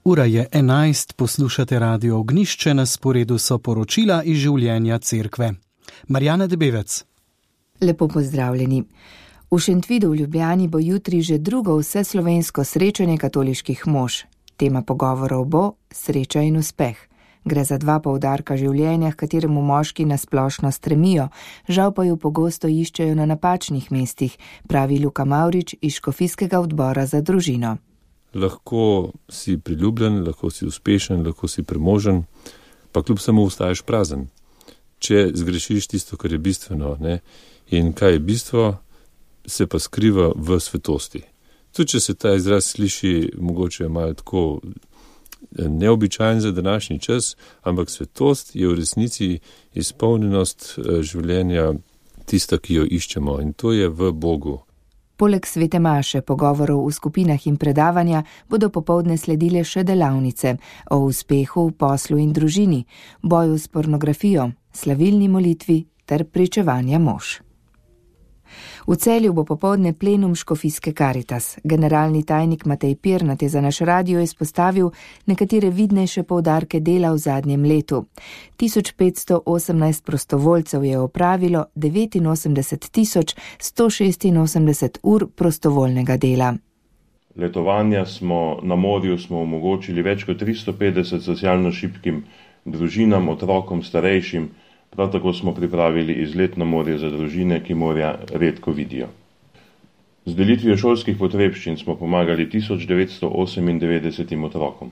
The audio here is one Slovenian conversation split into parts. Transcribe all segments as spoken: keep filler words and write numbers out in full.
Ura je enajst, poslušate Radio Ognjišče, na sporedu so poročila iz življenja cerkve. Marjana Debevec. Lepo pozdravljeni. V Šentvidu v Ljubljani bo jutri že drugo vseslovensko srečanje katoliških mož. Tema pogovorov bo sreča in uspeh. Gre za dva poudarka življenja, h kateremu moški nasplošno stremijo, žal pa ju pogosto iščejo na napačnih mestih, pravi Luka Mavrič iz Škofijskega odbora za družino. Lahko si priljubljen, lahko si uspešen, lahko si premožen, pa kljub samo ostaješ prazen. Če zgrešiš tisto, kar je bistveno, ne? In kaj je bistvo, se pa skriva v svetosti. Tudi če se ta izraz sliši mogoče malo tako neobičajen za današnji čas, ampak svetost je v resnici izpolnjenost življenja tista, ki jo iščemo, in to je v Bogu. Poleg svete maše, pogovorov v skupinah in predavanja bodo popoldne sledile še delavnice o uspehu v poslu in družini, boju s pornografijo, slavilni molitvi ter pričevanja mož. V Celju bo popoldne plenum Škofijske Karitas. Generalni tajnik Matej Pirnat je za naš radio izpostavil nekatere vidnejše poudarke dela v zadnjem letu. tisoč petsto osemnajst prostovoljcev je opravilo devetinosemdeset tisoč sto šestinosemdeset ur prostovoljnega dela. Letovanja smo na morju smo omogočili več kot tristo petdeset socialno šibkim družinam, otrokom, starejšim. Prav tako smo pripravili izlet na morje za družine, ki morja redko vidijo. Z delitvijo šolskih potrebščin smo pomagali tisoč devetsto osemindevetdesetim otrokom.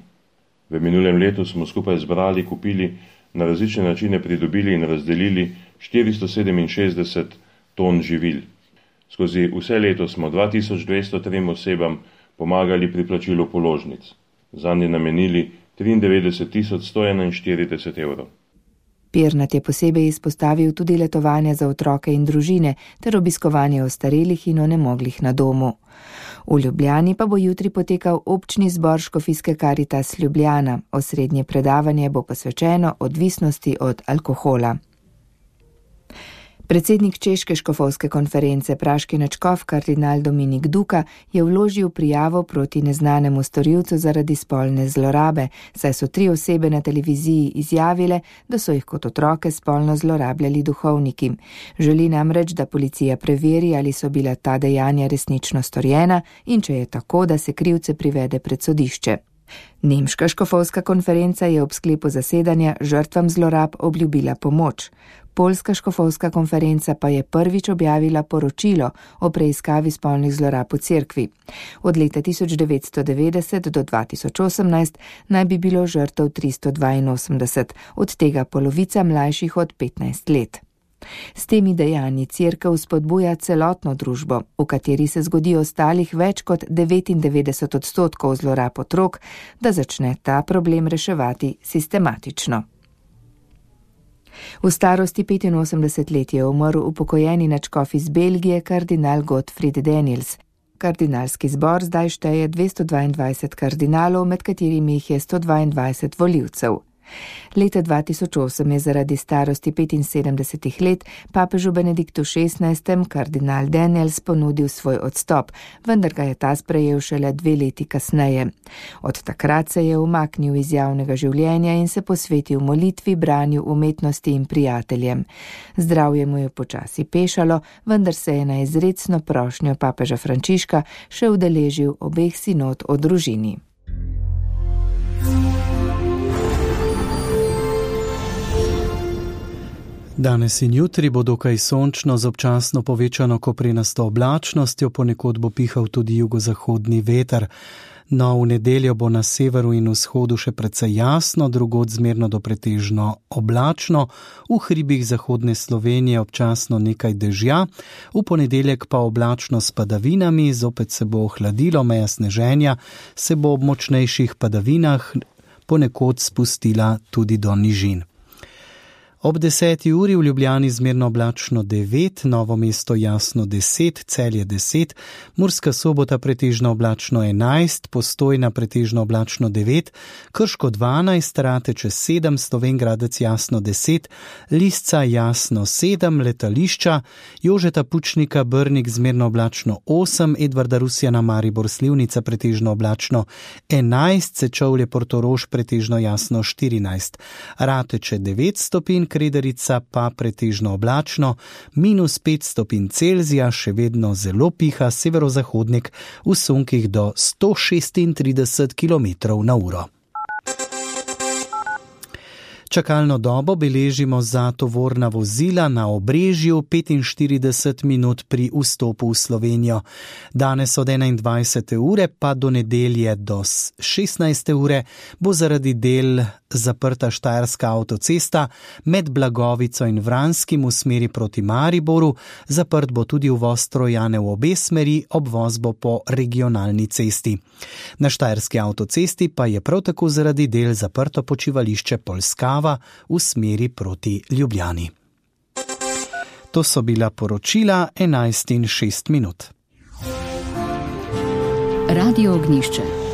V minulem letu smo skupaj zbrali, kupili, na različne načine pridobili in razdelili štiristo sedeminšestdeset ton živil. Skozi vse leto smo dva tisoč dvesto trem osebam pomagali pri plačilu položnic. Zanje namenili triindevetdeset tisoč sto enainštirideset evrov. Pirnat je posebej izpostavil tudi letovanja za otroke in družine ter obiskovanje ostarelih in onemoglih na domu. V Ljubljani pa bo jutri potekal občni zbor Škofijske Karitas Ljubljana. Osrednje predavanje bo posvečeno odvisnosti od alkohola. Predsednik Češke škofovske konference praški nadškof kardinal Dominik Duka je vložil prijavo proti neznanemu storilcu zaradi spolne zlorabe, saj so tri osebe na televiziji izjavile, da so jih kot otroke spolno zlorabljali duhovniki. Želi namreč, da policija preveri, ali so bila ta dejanja resnično storjena in če je tako, da se krivce privede pred sodišče. Nemška škofovska konferenca je ob sklepu zasedanja žrtvam zlorab obljubila pomoč. Poljska škofovska konferenca pa je prvič objavila poročilo o preiskavi spolnih zlorab v cerkvi. Od leta tisoč devetsto devetdeset do dva tisoč osemnajst naj bi bilo žrtev tristo dvainosemdeset, od tega polovica mlajših od petnajst let. S temi dejanji cerkev spodbuja celotno družbo, v kateri se zgodi ostalih več kot devetindevetdeset odstotkov zlorab otrok, da začne ta problem reševati sistematično. V starosti petinosemdeset let je umrl upokojeni nadškof iz Belgije kardinal Gottfried Daniels. Kardinalski zbor zdaj šteje dvesto dvaindvajset kardinalov, med katerimi jih je sto dvaindvajset volivcev. Leta dva tisoč osem je zaradi starosti petinsedemdesetih let papežu Benediktu šestnajstem kardinal Daniels ponudil svoj odstop, vendar ga je ta sprejel šele dve leti kasneje. Od takrat se je umaknil iz javnega življenja in se posvetil molitvi, branju umetnosti in prijateljem. Zdravje mu je počasi pešalo, vendar se je na izrecno prošnjo papeža Frančiška še udeležil obeh sinod o družini. Danes in jutri bo dokaj sončno z občasno povečano koprenasto oblačnostjo, ponekod bo pihal tudi jugozahodni veter. No, v nedeljo bo na severu in vzhodu še precej jasno, drugod zmerno do pretežno oblačno, v hribih zahodne Slovenije občasno nekaj dežja, v ponedeljek pa oblačno s padavinami, zopet se bo ohladilo, meja sneženja se bo ob močnejših padavinah ponekod spustila tudi do nižin. Ob deseti uri v Ljubljani zmerno oblačno devet, Novo mesto jasno deset, Celje deset, Murska Sobota pretežno oblačno enajst, Postojna pretežno oblačno devet, Krško dvanajst, Rateče sedem, Slovenj Gradec jasno deset, Lisca jasno sedem, Letališča, Jožeta Pučnika Brnik zmerno oblačno osem, Edvarda Rusjana Maribor Slivnica pretežno oblačno enajst, Sečovlje Portorož pretežno jasno štirinajst, Rateče devet stopinj, Krederica pa pretežno oblačno, minus pet stopinj Celzija, še vedno zelo piha severozahodnik v sunkih do sto šestintrideset kilometrov na uro. Čakalno dobo beležimo za tovorna vozila na Obrežju petinštirideset minut pri vstopu v Slovenijo. Danes od enaindvajsete ure pa do nedelje do šestnajste ure bo zaradi del zaprta Štajerska avtocesta med Blagovico in Vranskim v smeri proti Mariboru, zaprt bo tudi uvoz Trojane v obe smeri, obvoz bo po regionalni cesti. Na Štajerski avtocesti pa je prav tako zaradi del zaprto počivališče Polskava v smeri proti Ljubljani. To so bila poročila enajst in šest minut. Radio Ognjišče.